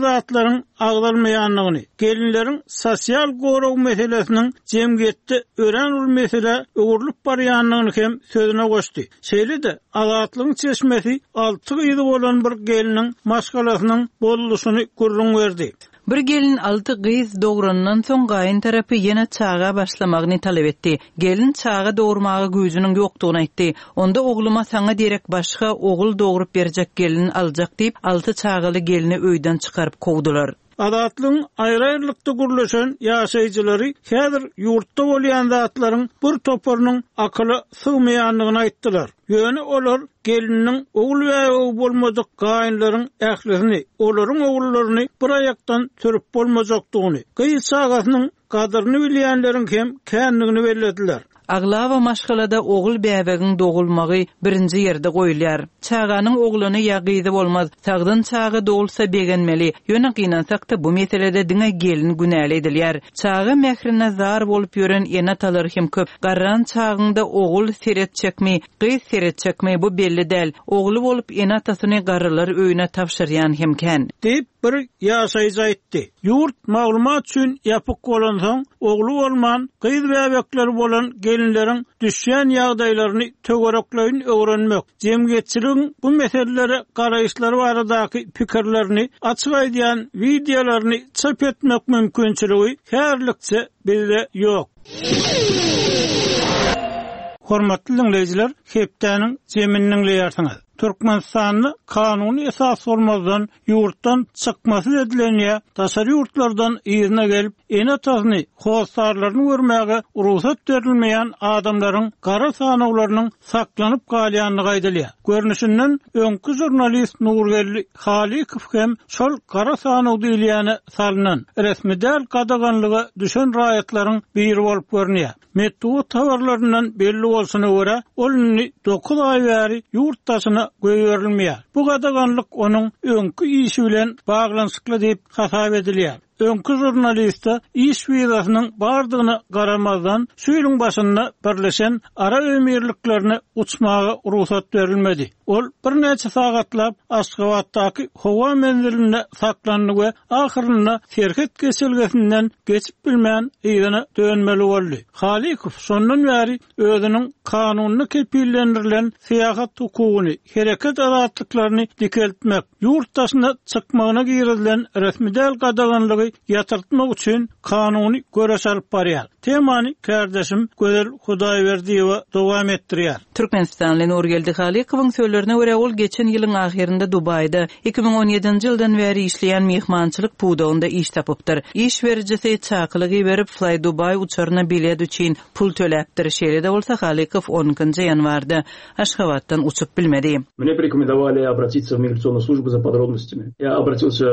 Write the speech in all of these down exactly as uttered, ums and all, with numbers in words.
zatlaryň agzalmaýandygyny, gelinleriň sosial gorag meselesiniň jemgyýetde örän uly meselä öwrülip barýandygyny hem sözüne goşdy. Şeýle-de Azatlygyň çeşmesi alty gyzy bolan bir gelniň maşgalasynyň bozulyşyny gürrüň berdi. Bir gelin alty gyz dograndan soň gaýyn tarapy ýene çaga başlamagyny talap etdi. Gelin çaga dogurmaga güýjüniň ýokdugyny aýtdy. Onda ogluma saňa derek başga ogul dogrup berjek gelin aljak diýip, alty çagaly gelni öýden çykaryp kowdular. Azatlygyň aýry-aýrylykda gürleşen ýaşaýjylary häzir ýurtda bolýan zatlaryň bir toparynyň akyla sygmaýandygyny aýtdylar. Ýöne olar gelniniň ogul bäbegi bolmadyk gaýynlaryň ählisini, olaryň ogullaryny bir aýakdan sürüp bolmajakdygyny, gyz çagasynyň gadyryny bilýänleriň hem kändigini bellediler. Aglaba maşgalada ogul bäbegiň dogulmagy birinji ýerde goýulýar. Çaganyň oglany ýa gyzy bolmaz, sagdyn çaga dogulsa begenmeli. Ýöne gynansak-da bu meselede diňe gelin günäli edilýär. Çaga mährine zar bolup ýören ene-atalar hem köp. Garran çagyňda ogul seretjekmi, gyz seretjekmi bu belli däl. Ogly bolup ene-atasyny garrylar öýüne tabşyrýan hem kän. Diýip, bir ýaşaýjy aýtdy. Ýurt maglumat üçin ýapyk bolansoň, ogly bolman, gyz bäbekleri bolan gelinleriň düşýän ýagdaýlaryny töwerekleýin öwrenmek, jemgyýetçiligiň bu meselelere garaýyşlary baradaky pikirlerini açyk aýdýan wideolaryny çap etmek mümkinçiligi häzirlikçe bizde ýok. Hormatly diňleýjiler, hepdäniň jemini diňleýärsiňiz. Türkmenistanda kanuny esas bolmazdan ýurtdan çykmasyz edilen ýa daşary ýurtlardan yzyna gelip, ene-atasyny, hossarlaryny görmäge rugsat berilmeýän adamlaryň gara sanawlarynyň saklanyp galýandygy aýdylýar. Görnüşinden öňki žurnalist Nurgeldi Halykow hem şol gara sanaw diýilýäne salynan, resmi däl gadaganlyga düşen raýatlaryň biri bolup görünýär. Metbugat habarlaryndan belli bolşuna görä, ol indi dokuz aý bäri ýurt daşyna goýberilmeýär. Bu gadaganlyk onuň öňki işi bilen baglanyşykly diýip hasap edilýär. Öňki žurnaliste iş wizasynyň bardygyna garamazdan, şu ýylyň başynda Birleşen Arap Emirliklerine uçmaga rugsat berilmedi. Ol birnäçe sagatlap Aşgabatdaky howa menzilinde saklandy we ahyrynda serhet geçelgesinden geçip bilmän yzyna dönmeli boldy. Halykow şondan bäri özüniň kanunda kepillendirilen syýahat hukugyny, hereket azatlyklaryny dikeltmek, ýurt daşyna çykmagyna girizilen resmi däl gadaganlygy ýatyrtmak üçin kanuny göreş alyp barýar. Temany kärdeşim Gözel Hudaýberdiýewa dowam etdirýär. Türkmenistanly Nurgeldi Halykowyň sözlerine görä, ol geçen ýylyň ahyrynda Dubaýda iki müň on ýedinji ýyldan bäri işleýän myhmançylyk pudagynda iş tapypdyr. Iş berijisi çakylyk iberip, Fly Dubai uçaryna bilet üçin pul töläpdir. Şeýle-de bolsa Halykow on ikinji ýanwarda Aşgabatdan uçup bilmedi. Мне порекомендовали обратиться в миграционную службу за подробностями. Я обратился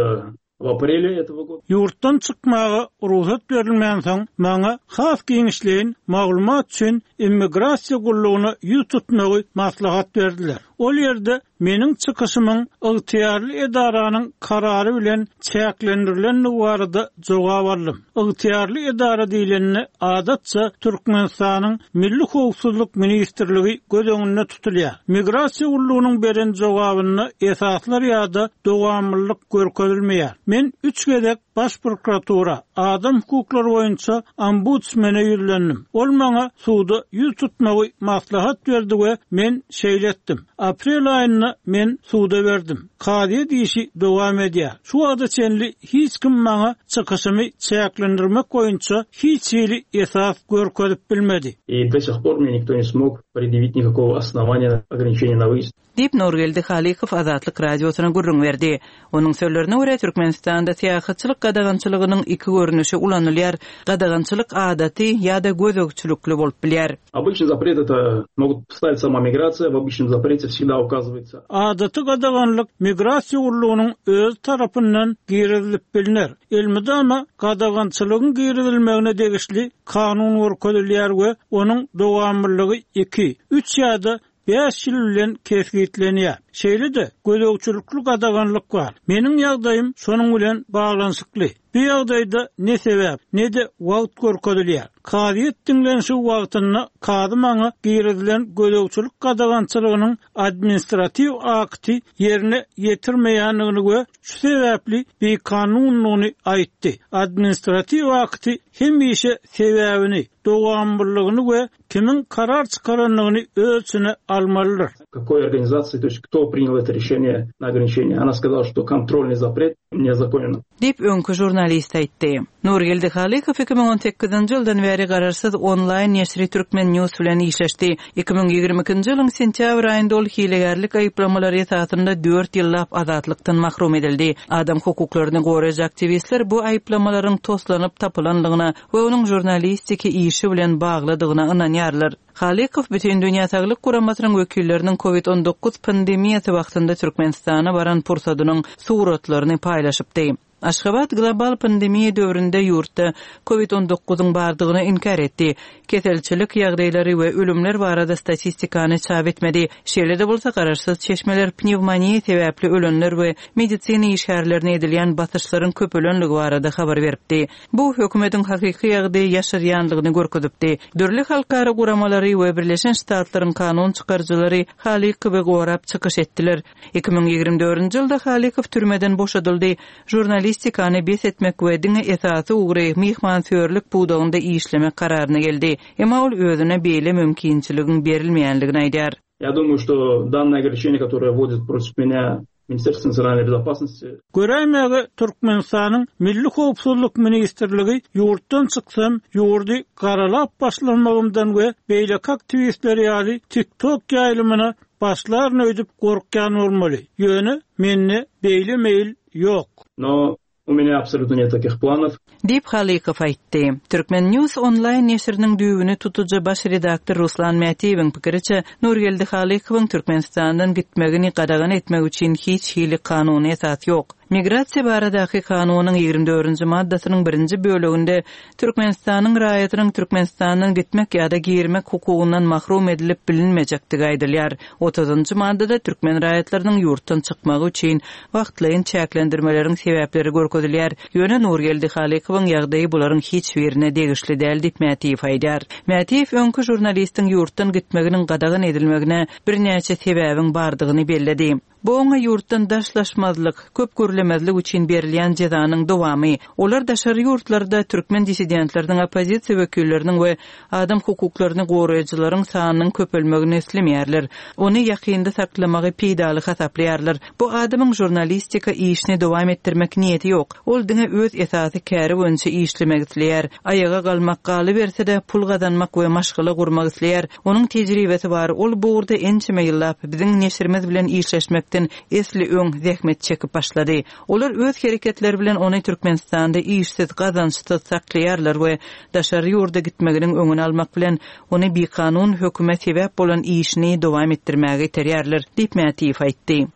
в апреле этого года. Ýurtdan çykmaga rugsat berilmänsoň, maňa has giňişleýin maglumat üçin immigrasiýa gullugyna ýüz tutmagy maslahat berdiler. Ol ýerde meniň çykyşymyň ygtyýarly edaranyň karary bilen çäklendirilendigi barada jogap aldym. Ygtyýarly edara diýlende adatça Türkmenistanyň Milli Howpsuzlyk Ministrligi göz öňünde tutulýar. Migrasiýa gullugynyň beren jogabynda esaslar ýa-da dowamlylyk görkezilmeýär. Men üç gezek Baş prokuratura, adam hukuklary boýunça ombudsmene ýüzlendim. Ol maňa suda ýüz tutmagy maslahat berdi we men şeýle etdim. Aprel aýynda men suda berdim. Kazyýet işi dowam edýär. Şu wagta çenli hiç kim maňa çykyşymy çäklendirmek boýunça hiç hili esas görkezip bilmedi. И до сих пор мне никто не смог предъявить никакого основания ограничения на выезд. Diýip Nurgeldi Halykow Azatlyk Radiosyna gürrüň berdi. Onuň sözlerine görä, Türkmenistanda syýahatçylyk gadagançylygynyň iki görnüşi ulanylýar. Gadagançylyk adaty ýa-da gözegçilikli bolup bilýär. Обычный запрет это могут поставить сама миграция, в обычном запрете всегда указывается. Adaty gadaganlyk migrasiýa gullugynyň öz tarapyndan girizilip bilner. Elmydama gadagançylygyň girizilmegine degişli kanun görkezilýär we onuň dowamlylygy iki, üç ýa-da bäş ýyl bilen kesgitlenýär. Şeýle-de gözegçilikli gadaganlyk bar. Meniň ýagdaýym şonuň bilen baglanyşykly. Bu ýagdaýda ne sebäp, ne-de wagt görkezilýär. Kazyýet diňlenişi wagtynda kazy maňa girizilen gözegçilik gadagançylygynyň administratiw akty ýerine ýetirmeýändigini we şu sebäpli bikanunlygyny aýtdy. Administratiw akty hemişe sebäbini, dowamlylygyny we kimiň karar çykarandygyny öz içine almalydyr. Какой организации, то есть кто принял это решение на ограничение. Она сказала, что контрольный запрет незаконен. Diýip öňki žurnalist aýtdy. Nurgeldi Halykow iki müň on sekizinji ýyldan bäri garaşsyz onlaýn neşiri Türkmen News bilen işleşdi. Iki müň ýigrimi ikinji ýylyň sentýabr aýynda ol hilegärlik aýyplamalary esasynda dört ýyllap azatlykdan mahrum edildi. Adam hukuklaryny goraýjy aktiwistler bu aýyplamalaryň toslanyp tapylanlygyna we onuň žurnalistiki işi bilen baglydygyna ynanýarlar. Halykow Bütün Dünýä Saglyk Guramasynyň wekilleriniň COVID on dokuz pandemiýasy wagtynda Türkmenistana baran pursadynyň suratlaryny paýlaşypdy. Aşgabat global pandemiýa döwründe ýurtda COVID on dokuzyň bardygyny inkar etdi. Keselçilik ýagdaýlary we ölümler barada statistikany çap etmedi. Şeýle-de bolsa garaşsyz çeşmeler pnevmoniýa sebäpli ölenler we medisina işgärlerine edilýän basyşlaryň köpelenligi barada habar beripdi. Bu hökümetiň hakyky ýagdaýy ýaşyrýanlygyny görkezipdi. Dürli halkara guramalary we Birleşen Ştatlaryň kanun çykaryjylary Halykowy gorap çykyş etdiler. Iki müň ýigrimi dördünji ýylda Halykow türmeden boşadyldy. Žurnalistikany bes etmek we diňe esasy ugry myhmansöýerlik pudagynda işlemek kararyna geldi. Emma ol özüne beýle mümkinçiligiň berilmeýänligini aýdar. Я думаю, что данное ограничение, которое вводит против меня Министерство национальной безопасности. Göräýmäge Türkmenistanyň Milli Howpsuzlyk Ministrligi ýurtdan çyksam, ýurdy garalap başlanmagymdan we beýleki aktiwistler ýaly TikTok ýaýlymyna başlaryny öýdüp gorkýan bolmaly. Ýöne mende beýle meýil ýok. Но у меня абсолютно нет таких планов. Diýip Halykow aýtdy. Türkmen News onlaýn neşiriniň düýbüni tutujy baş redaktor Ruslan Mätiýewiň pikiriçe Nurgeldi Halykowyň Türkmenistandan gitmegini gadagan etmek üçin hiç hili kanuny esas ýok. Migrasiýa baradaky kanunyň ýigrimi dördünji maddasynyň birinji bölüminde Türkmenistanyň raýatynyň Türkmenistandan gitmek ýa-da girmek hukugyndan mahrum edilip bilinmejekdigi aýdylýar. Otuzunjy maddada türkmen raýatlarynyň ýurtdan çykmagy üçin wagtlaýyn çäklendirmeleriň sebäpleri görkezilýär. Ýöne Nurgeldi Halykowyň ýagdaýy bularyň hiç birine degişli däl diýip Mätiýew aýdar. Mätiýew öňki žurnalistiň ýurtdan gitmeginiň gadagan edilmegine birnäçe sebäbiň bardygyny belledi. Bu oňa ýurtdan daşlaşmazlyk, köp görlemezlik üçin berilýän jezanyň dowamy. Olar daşary ýurtlarda türkmen dissidentleriniň, oppozisiýa wekilleriniň we adam hukuklaryny goraýjylaryň sanynyň köpelmegini islemeýärler. Ony ýakynda saklamagy peýdaly hasaplaýarlar. Bu adamyň žurnalistika işini dowam etdirmek niýeti ýok. Ol diňe öz esasy käri boýunça işlemek isleýär. Aýaga galmak galyberse-de pul gazanmak we maşgala gurmak isleýär. Onuň tejribesi bar. Ol bu ugurda ençeme ýyllap biziň neşirimiz bilen işleşmekden esli öň zähmet çekip başlady. Olar öz hereketleri bilen ony Türkmenistanda işsiz, gazançsyz saklaýarlar we daşary ýurda gitmeginiň öňüni almak bilen ony bikanun höküme sebäp bolan işini dowam etdirmäge iterýärler, diýip Mätiýew aýtdy.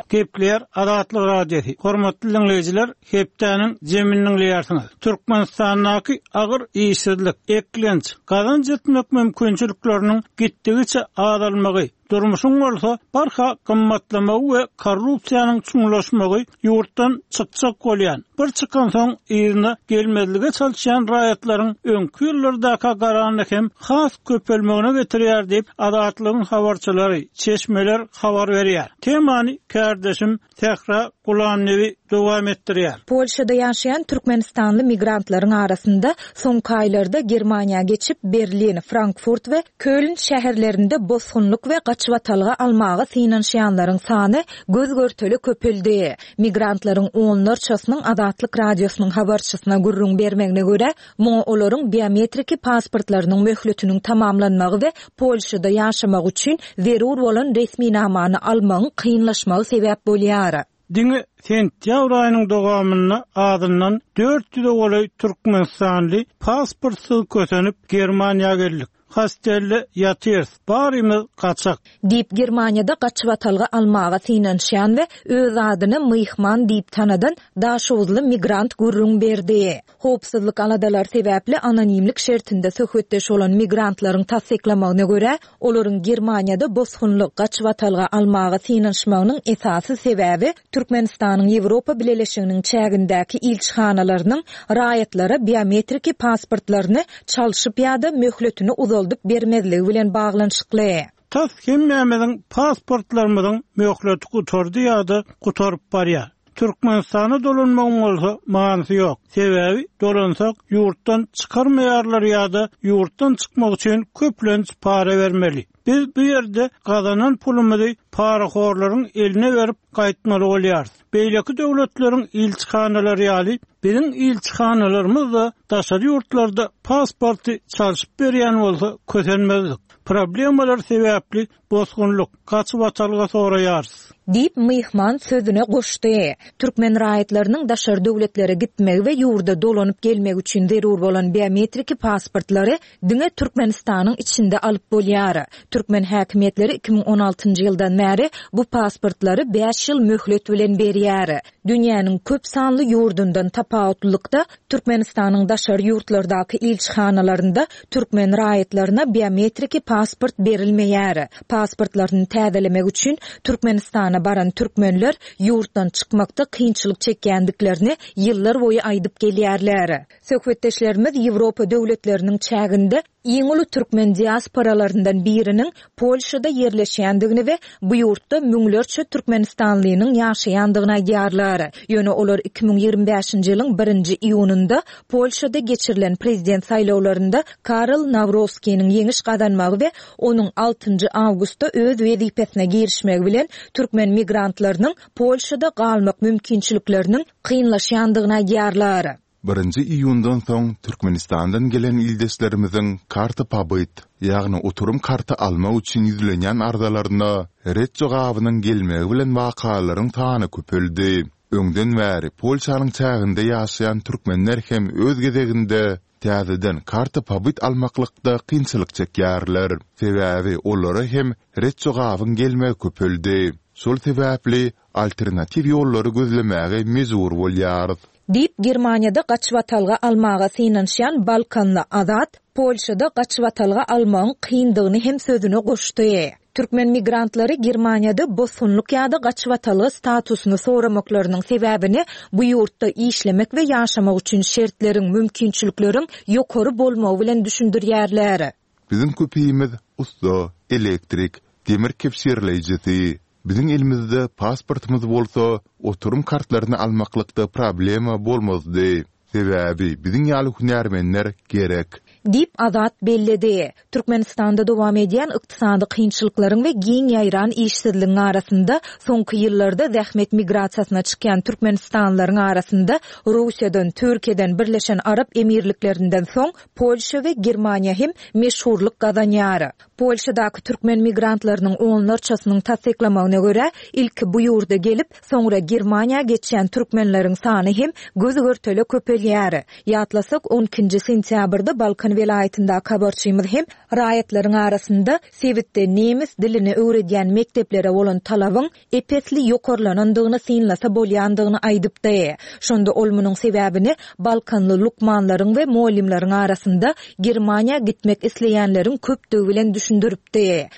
Gepler Azatlyk Radiosy. Hormatly dinleýjiler, hepdäniň jemini dinleýärsiňiz. Türkmenistandaky agyr işsizlik, eklenç, gazanç etmek mümkinçilikleriniň gitdigiçe azalmagy, durmuşyň bolsa barha gymmatlamagy we korrupsiýanyň çuňlaşmagy ýurtdan çykjak bolýan, bir çykan soň yzyna gelmezlige çalışýan raýatlaryň öňki ýyllardaka garanyny hem has köpelmegine getirýär diýip Azatlygyň habarçylary, çeşmeler habar berýär. Temany kardeşim Sähra Gulamnewi dowam etdirýär. Polşada ýaşaýan Türkmenistanly migrantlaryň arasynda soňky aýlarda Germaniýa geçip Berlin, Frankfurt we Köln şäherlerinde bosgunlyk we gaçybatalga almaga synanyşýanlaryň sany göz görteli köpeldi. Migrantlaryň onlarçasynyň Azatlyk Radiosynyň habarçysyna gürrüň bermegine görä, muňa olaryň biometriki pasportlarynyň möhletiniň tamamlanmagy we Polşada ýaşamak üçin zerur bolan resminamany almagyň kynlaşmagy sebäp bolýar. Diňe sentýabr aýynyň dowamynda adyndan dört ýüze golaý Türkmenistanly pasportsyz kösenip Germaniýa geldik. Hostelde ýatyrys. Barymyz gaçak. Diýip, Germaniýada gaçybatalga almaga synanyşýan we öz adyny Myhman diýip tanadan daşoguzly migrant gürrüň berdi. Howpsuzlyk aladalary sebäpli anonimlik şertinde söhbetdeş bolan migrantlaryň tassyklamagyna görä, olaryň Germaniýada bosgunlyk, gaçybatalga almaga synanyşmagynyň esasy sebäbi Türkmenistanyň Ýewropa Bileleşiginiň çägindäki ilçihanalarynyň raýatlara biometriki pasportlaryny çalşyp ýa-da möhletini uzaldyp bermezligi bilen baglanyşykly. Tas hemmämiziň pasportlarymyzyň möhleti gutardy ýa-da gutaryp barýar. Türkmenistana dolanmagyň bolsa manysy ýok. Sebäbi dolansak ýurtdan çykarmaýarlar ýa-da ýurtdan çykmak üçin köplenç para bermeli. Biz bu ýerde gazanan pulumyzy parahorlaryň eline berip gaýtmaly bolýarys. Beýleki döwletleriň ilçihanalary ýaly biziň ilçihanalarymyz-da daşary ýurtlarda pasporty çalşyp berýän bolsa kösenmezdik. Problemalar sebäpli bosgunlyk, gaçybatalga soraýarys. Diýip, myhman sözüne goşdy. Türkmen raýatlarynyň daşary döwletlere gitmegi we ýurda dolanyp gelmegi üçin zerur bolan biometriki pasportlary diňe Türkmenistanyň içinde alyp bolýar. Türkmen häkimiýetleri iki müň on altynjy ýyldan bäri bu pasportlary bäş ýyl möhlet bilen berýär. Dünýäniň köp sanly ýurdundan tapawutlylykda Türkmenistanyň daşary ýurtlardaky ilçihanalarynda türkmen raýatlaryna biometriki pasport berilmeýär. Pasportlaryny täzelemek üçin Türkmenistana baran türkmenler ýurtdan çykmakda kynçylyk çekýändiklerini ýyllar boýy aýdyp gelýärler. Söhbetdeşlerimiz Ýewropa döwletleriniň çäginde iň uly türkmen diasporalaryndan biriniň Polşada ýerleşýändigini we bu ýurtda müňlerçe türkmenistanlynyň ýaşaýandygyny aýdýarlar. Ýöne olar iki müň ýigrimi bäşinji ýylyň birinji iýunynda Polşada geçirilen prezident saýlawlarynda Karol Nawrowskiniň ýeňiş gazanmagy we onuň altynjy awgustda öz wezipesine girişmegi bilen türkmen migrantlarynyň Polşada galmak mümkinçilikleriniň kynlaşýandygyny aýdýarlar. Birinji iýundan soň Türkmenistandan gelen ildeşlerimiziň karta pobyt, ýagny oturum karty almak üçin ýüzlenýän arzalaryna ret jogabynyň gelmegi bilen wakalaryň sany köpeldi. Öňden bäri Polşanyň çäginde ýaşaýan türkmenler hem öz gezeginde täzeden karta pobyt almaklykda kynçylyk çekýärler. Sebäbi olara hem ret jogabyň gelmegi köpeldi. Şol sebäpli alternatiw ýollary gözlemäge mejbur bolýarys. Diýip, Germaniýada gaçybatalga almaga synanyşýan Balkanly Azat Polşada gaçybatalga almagyň kyndygyny hem sözüne goşdy. Türkmen migrantlary Germaniýada bosgunlyk ýa-da gaçybatalga statusyny soramaklarynyň sebäbini bu ýurtda işlemek we ýaşamak üçin şertleriň, mümkinçilikleriň ýokary bolmagy bilen düşündirýärler. Biziň köpimiz ussa, elektrik, demir kebşirleýjisi. Biziň elimizde pasportymyz bolsa, oturum kartlaryny almaklykda problema bolmazdy. Sebäbi biziň ýaly hünärmenler gerek. Diýip, Azat belledi. Türkmenistanda dowam edýän ykdysady kynçylyklaryň we giň ýaýran işsizligiň arasynda soňky ýyllarda zähmet migrasiýasyna çykýan türkmenistanlylaryň arasynda Russiýadan, Türkiýeden, Birleşen Arap Emirliklerinden soň Polşa we Germaniýa hem meşhurlyk gazanýar. Polşadaky türkmen migrantlarynyň onlarçasynyň tassyklamagyna görä, ilki bu ýurda gelip, soňra Germaniýa geçýän türkmenleriň sany hem göz-görtele köpelýär. Ýatlasak, on ikinji sentýabrda Balkan welaýatyndaky habarçymyz hem raýatlaryň arasynda sebitde nemes dilini öwredýän mekdeplere bolan talabyň epesli ýokarlanandygyny synlasa bolýandygyny aýdypdy. Şonda ol munuň sebäbini Balkanly lukmanlaryň we mugallymlaryň arasynda Germaniýa gitmek isleýänleriň köpdügi bilen düşündiripdi.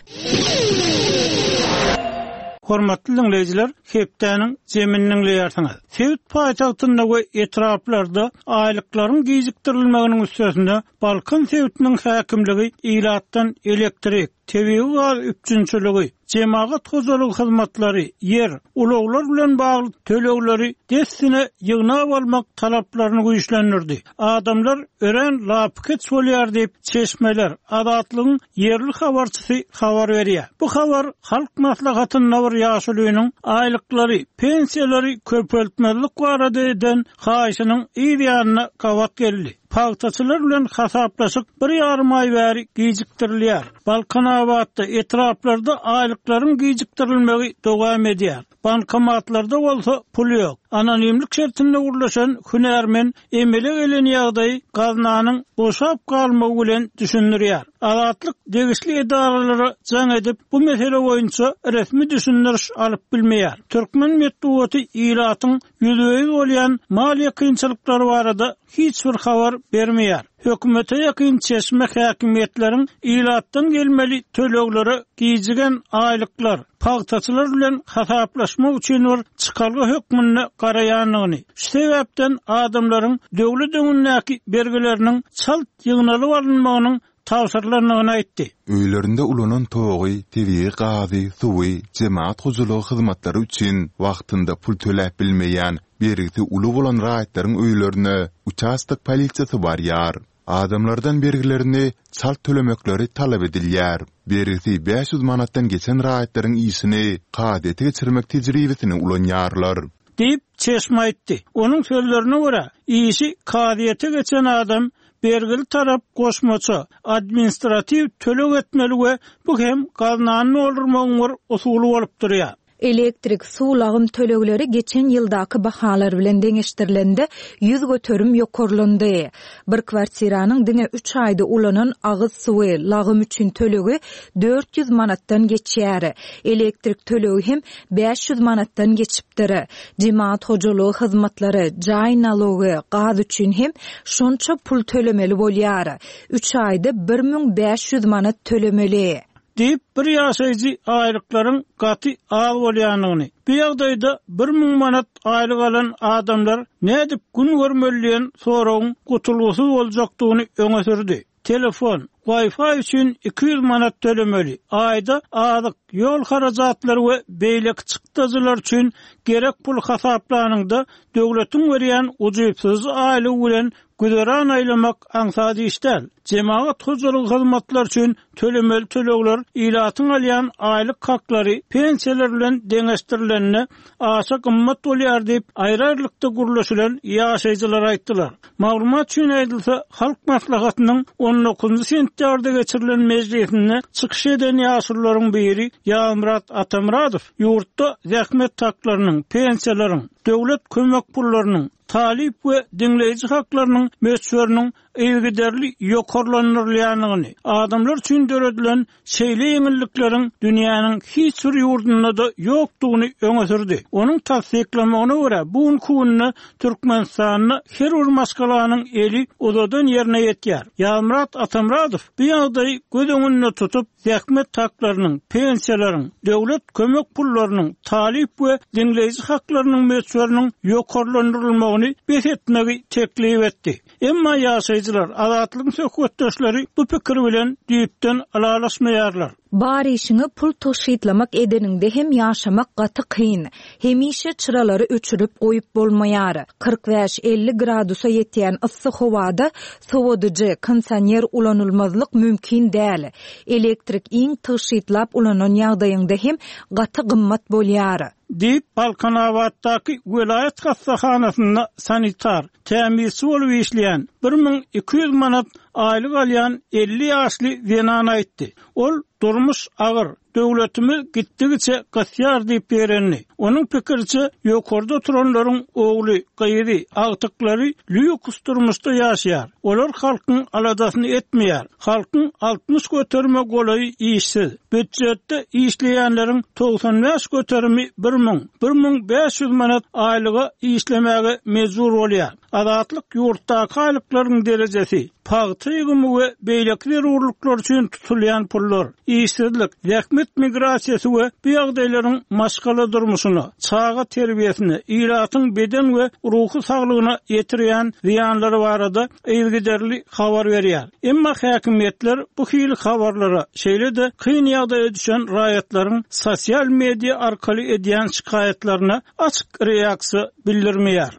Hormatly dinleýjiler, hepdäniň zemini dinleýärsiňiz. Sebit paýtagtynda we etraplarda aýlyklaryň gijikdirilmeginiň üstesinde Balkan sebitiniň häkimligi ilatdan elektrik, tebigy gaz üpjünçiligi, jemagat hojalygy hyzmatlary, ýer, ulaglar bilen bagly tölegleri dessine ýygnap almak talaplaryny güýçlendirdi. Adamlar örän lapykeç bolýar diýip, çeşmeler, Azatlygyň ýerli habarçysy habar berýär. Bu habar Halk maslahatynda bir ýaşulynyň aýlyklary, pensiýalary köpeltmezlik barada eden haýyşynyň yz ýanyna gabat geldi. Pagtaçylar bilen hasaplaşyk bir ýarym aý bäri gijikdirilýär. Balkanabatda etraplarda aýlyklaryň gijikdirilmegi dowam edýär. Bankomatlarda bolsa pul ýok. Anonimlik şertinde gurlaşan hünärmen emele gelen ýagdaýy gaznanyň boşap galmagy bilen düşündirýär. Azatlyk degişli edaralara jaň edip bu mesele boýunça resmi düşündiriş alyp bilmeýär. Türkmen metbugaty ilatyň ýüzbe-ýüz bolýan maliýe kynçylyklary barada hiç bir habar bermeýär. Hökümete ýakyn çeşme häkimiýetleriň ilatdan gelmeli töleglere gijigen aýlyklar, pagtaçylar bilen hasaplaşmak üçin bir çykalga hökmünde garaýandygyny, şu sebäpden adamlaryň döwlet öňündäki bergileriniň çalt ýygnalyp alynmagynyň tabşyrylandygyny aýtdy. Öýlerinde ulanan togy, tebigy gazy, suwy, jemaat hojalygy hyzmatlary üçin wagtynda pul töläp bilmeýän, bergisi uly bolan raýatlaryň öýlerine uçastok polisiýasy barýar. Adamlardan bergilerini çalt tölemekleri talap edilýär. Bergisi bäş ýüz manatdan geçen raýatlaryň işini kazyýete geçirmek tejribesini ulanýarlar. Diýip çeşme aýtdy. Onuň sözlerine görä, işi kazyýete geçen adam bergili tarap goşmaça administratiw töleg etmeli we bu hem gaznany doldurmagyň bir usuly bolup durýar. Elektrik, suw lagym tölegleri geçen ýyldaky bahalar bilen deňeşdirilende ýüz göterim ýokarlandy. Bir kwartiranyň diňe üç aýda ulanan agyz suwy lagym üçin tölegi dört ýüz manatdan geçýär. Elektrik tölegi hem bäş ýüz manatdan geçipdir. Jemaat hojalygy hyzmatlary, jaý nalogy, gaz üçin hem şonça pul tölemeli bolýar. Üç aýda bir müň bäş ýüz manat tölemeli. Diýip bir ýaşaýjy aýlyklaryň gaty az bolýanyny, bu ýagdaýda bir müň manat aýlyk alan adamlar nädip gün görmeli diýen soragyň gutulgysyz boljakdygyny öňe sürdi. Telefon, Wi-Fi üçin iki ýüz manat tölemeli. Aýda azyk, ýol harajatlary we beýleki çykdajylar üçin gerek pul hasaplanyňda döwletiň berýän ujypsyz aýlygy bilen güzeran aýlamak aňsat iş däl. Jemaat hojalygy hyzmatlar üçin tölemeli tölegler ilatyň alýan aýlyk haklary pensiýalar bilen deňeşdirilende aşa gymmat bolýar diýip aýry-aýrylykda gurlaşylan ýaşaýjylar aýtdylar. Maglumat üçin aýdylsa, Halk Maslahatynyň on dokuzynjy sentýabrda geçirilen mejlisinde çykyş eden ýaşulularyň biri Ýazmyrat Atamyradow ýurtda zähmet haklarynyň, pensiýalaryň, döwlet kömek pullarynyň, talyp we diňleýji haklarynyň möçberiniň yzygiderli ýokarlandyrylýandygyny, adamlar üçin döredilen şeýle ýeňillikleriň dünýäniň hiç bir ýurdunda-da ýokdugyny öňe sürdi. Onuň tassyklamagyna görä, bu günki günde Türkmenistanda her bir maşgalanyň eli uzadan ýerine ýetýär. Ýazmyrat Atamyradow bu ýagdaýy göz öňünde tutup, zähmet haklarynyň, pensiýalaryň, döwlet kömek pullarynyň, talyp we diňleýji haklarynyň möçberiniň ýokarlandyrylmagyny bes etmegi teklip etdi. Emma ýaşaýjylar, Azatlygyň söhbetdeşleri bu pikir bilen düýpden ylalaşmaýarlar. Bar işiňi pul tygşytlamak edeniňde hem ýaşamak gaty kyn. Hemişe çyralary öçürip goýup bolmaýar. Kyrk bäş elli gradusa ýetýän yssy howada sowadyjy, kondisioner ulanylmazlyk mümkin däl. Elektrik iň tygşytlap ulanan ýagdaýyňda hem gaty gymmat bolýar. Diýip Balkanabatdaky welaýat hassahanasynda sanitar, tämizçi bolup işleýän bir müň iki ýüz manat aýlyk alýan elli ýaşly zenan aýtdy. Ol durmuş agyr, döwletimiz gitdigiçe gysýar diýip berendi. Onuň pikiriçe ýokarda oturanlaryň ogly, gyzy, agtyklary lýuks durmuşda ýaşaýar. Olar halkyň aladasyny etmeýär. Halkyň altmyş göterime golaýy işsiz. Býujetde işleýänleriň togsan bäş göterimi bir müň, bir müň bäş ýüz manat aýlyga işlemäge mejbur bolýar. Azatlyk ýurtdaky aýlyklaryň derejesi, pagta ýygymy we beýleki zerurlyklar üçin tutulýan pullar, işsizlik, zähmet migrasiýasy we bu ýagdaýlaryň maşgala durmuşyna, çaga terbiýesine, ilatyň beden we ruhy saglygyna ýetirýän zyýanlary barada yzygiderli habar berýär. Emma häkimiýetler bu hili habarlara, şeýle-de kyn ýagdaýa düşen raýatlaryň sosial media arkaly edýän şikaýatlaryna açyk reaksiýa bildirmeýär.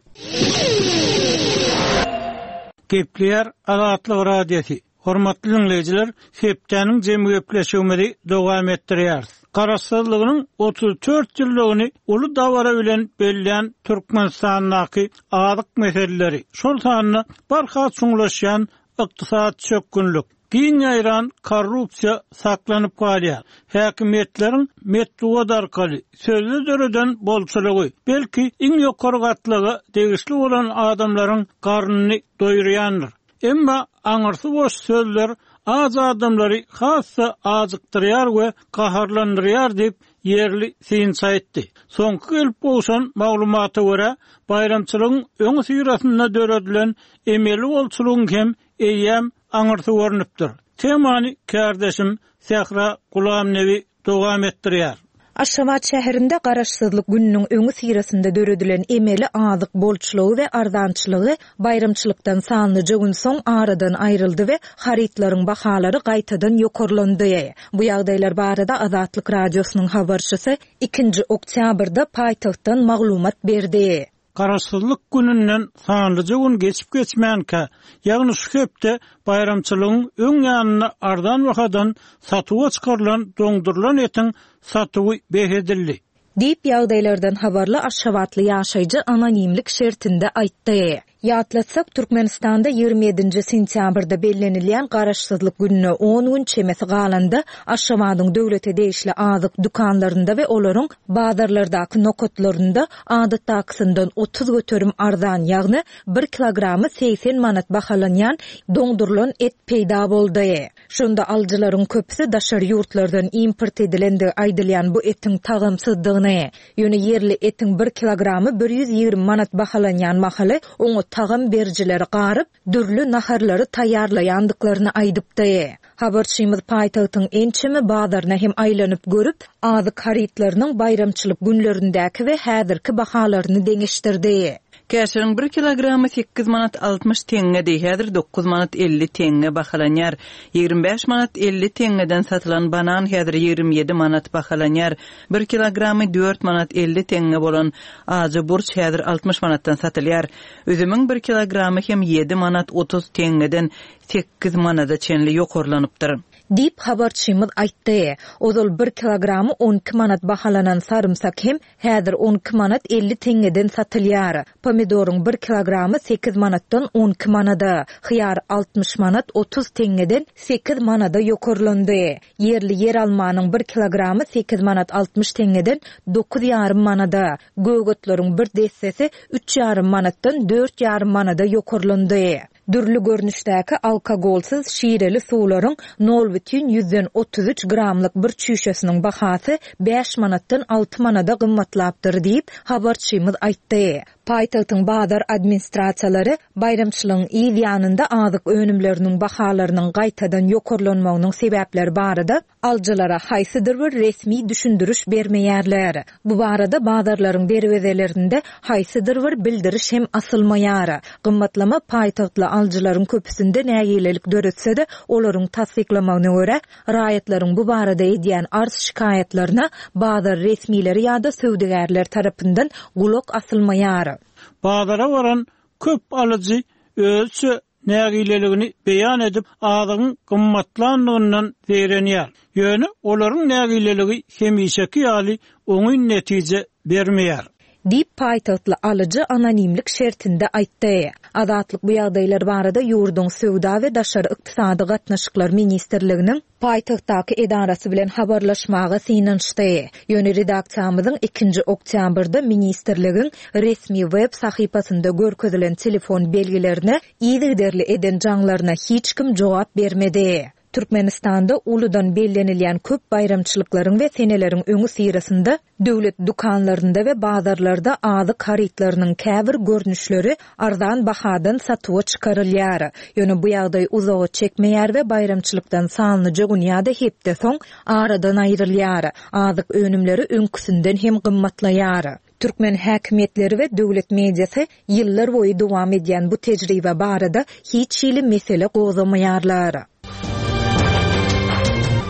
Gepleýär Azatlyk Radiosy. Hormatly dinleýjiler, hepdäniň jemi gepleşigimizi dowam etdirýäris. Garaşsyzlygynyň otuz dört ýyllygyny uly dabara bilen bellän Türkmenistandaky azyk meseleleri, şol sanda barha çuňlaşýan ykdysady çökgünlik, giň ýaýran korrupsiýa saklanyp galýar. Häkimiýetleriň metbugat arkaly sözde döreden bolçulygy, belki iň ýokary gatlaga degişli bolan adamlaryň garnyny doýurýandyr. Emma aňyrsy boş sözler az adamlary hassa azykdyrýar we gaharlandyrýar diýip ýerli synçy aýtdy. Soňky gelip gowşan maglumata görä, baýramçylygyň öň syrasynda döredilen emeli bolçulygyň hem eýýäm aňyrsy görnüpdir. Temany kärdeşim Sähra Gulamnebi dowam etdirýär. Aşgabat şäherinde Garaşsyzlyk gününiň öňi syrasynda döredilen emeli azyk bolçulygy we arzançylygy baýramçylykdan sanlyja gün soň aradan aýryldy we harytlaryň bahalary gaýtadan ýokarlandy. Bu ýagdaýlar barada Azatlyk radiosynyň habarçysy ikinji oktýabrda paýtagtdan maglumat berdi. Garaşsyzlyk gününden sanlyja gün geçip geçmänkä, ýagny şu hepde baýramçylygyň öň ýanynda arzan bahadan satuwa çykarylan doňdurylan etiň satuwy bes edildi. Diýip ýagdaýlardan habarly Aşgabatly ýaşaýjy anonimlik şertinde aýtdy. Ýatlatsak, Türkmenistanda ýigrimi ýedinji sentýabrda bellenilýän Garaşsyzlyk gününe on gün çemesi galanda Aşgabadyň döwlete degişli azyk dükanlarynda we olaryň bazarlardaky nokatlarynda adatdakysyndan otuz göterim arzan, ýagny bir kilogramy segsen manat bahalanýan doňdurylan et peýda boldy. Şonda alyjylaryň köpüsi daşary ýurtlardan import edilendigi aýdylýan bu etiň tagamsyzdygyny, ýöne ýerli etiň bir kilogramy bir ýüz ýigrimi manat bahalanýan mahaly oňa tagam berijileri garyp, dürli naharlary taýýarlaýandyklaryny aýdypdy. Habarçymyz paýtagtyň ençeme bazaryna hem aýlanyp görüp, azyk harytlarynyň baýramçylyk günlerindäki we häzirki bahalaryny deňeşdirdi. Käşiriň bir kilogramy sekiz manat altmyş teňňedi, häzir dokuz manat elli teňňe bahalanýar. Ýigrimi bäş manat elli teňňeden satylan banan häzir ýigrimi ýedi manat bahalanýar. Bir kilogramy dört manat elli teňňe bolan ajy burç häzir altmyş manatdan satylýar. Üzümiň bir kilogramy hem ýedi manat otuz teňňeden sekiz manada çenli ýokarlanypdyr. Diýip habarçymyz aýtdy. Ozal bir kilogramy on iki manat bahalanan sarymsak hem häzir on iki manat elli teňňeden satylýar. Pomidoryň bir kilogramy sekiz manatdan on iki manada, hyýar altmyş manat otuz teňňeden sekiz manada ýokarlandy. Ýerli ýer almanyň bir kilogramy sekiz manat altmyş teňňeden dokuz ýarym manada, gögötleriň bir dessesi üç ýarym manatdan dört ýarym manada ýokarlandy. Dürli görnüşdäki alkogolsyz şireli suwlaryň nol bütin ýüzden otuz üç gramlyk bir çüýşesiniň bahasy bäş manatdan alty manada gymmatlapdyr diýip habarçymyz aýtdy. Paýtagtyň bazar administrasiýalary baýramçylygyň yz ýanynda azyk önümleriniň bahalarynyň gaýtadan ýokarlanmagynyň sebäpleri barada alyjylara haýsydyr bir resmi düşündiriş bermeýärler. Bu barada bazarlaryň derwezelerinde haýsydyr bir bildiriş hem asylmaýar. Gymmatlama paýtagtly alyjylaryň köpüsinde nägilelik döretse-de, olaryň tassyklamagyna görä, raýatlaryň bu barada edýän arz şikaýatlaryna bazar resmileri ýa-da söwdagärler tarapyndan gulak asylmaýar. Bazara varan köp alyjy özçe nägileligini beýan edip, azygyň gymmatlandygyndan zeýrenýär. Ýöne olaryň nägileligi hemişeki ýaly oňyn netije bermeýär. Diýip paýtagtly alyjy anonimlik şertinde aýtdy. Azatlyk bu ýagdaýlar barada ýurduň Söwda we Daşary ykdysady gatnaşyklar ministrliginiň paýtagtdaky edarasy bilen habarlaşmaga synanyşdy. Ýöne redaksiýamyzyň ikinji oktýabrda ministrligiň resmi web sahypasynda görkezilen telefon belgilerine yzygiderli eden jaňlaryna hiç kim jogap bermedi. Türkmenistanda uludan bellenilýän köp baýramçylyklaryň we seneleriň öňi syrasynda döwlet dükanlarynda we bazarlarda azyk harytlarynyň käbir görnüşleri arzan bahadan satuwa çykarylýar. Ýöne bu ýagdaý uzaga çekmeýär we baýramçylykdan sanlyja gün ýa-da hepde soň aradan aýrylýar. Azyk önümleri öňküsinden hem gymmatlaýar. Türkmen häkimiýetleri we döwlet mediasy ýyllar boýy dowam edýän bu tejribe barada hiç hili mesele gozamaýarlar.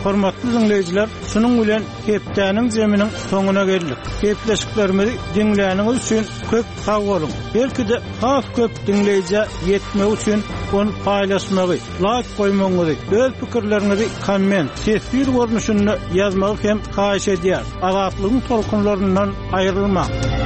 Hormatly dinleýjiler, şunuň bilen hepdäniň zeminiň soňuna geldik. Gepleşiklerimizi diňläniňiz üçin köp sag boluň. Belki-de has köp dinleýjä ýetmek üçin ony paýlaşmagy, like goýmagyňyzy, öz pikirleriňizi komment, teswir görnüşinde ýazmagy hem haýyş edýär. Azatlygyň tolkunlaryndan aýrylmaň.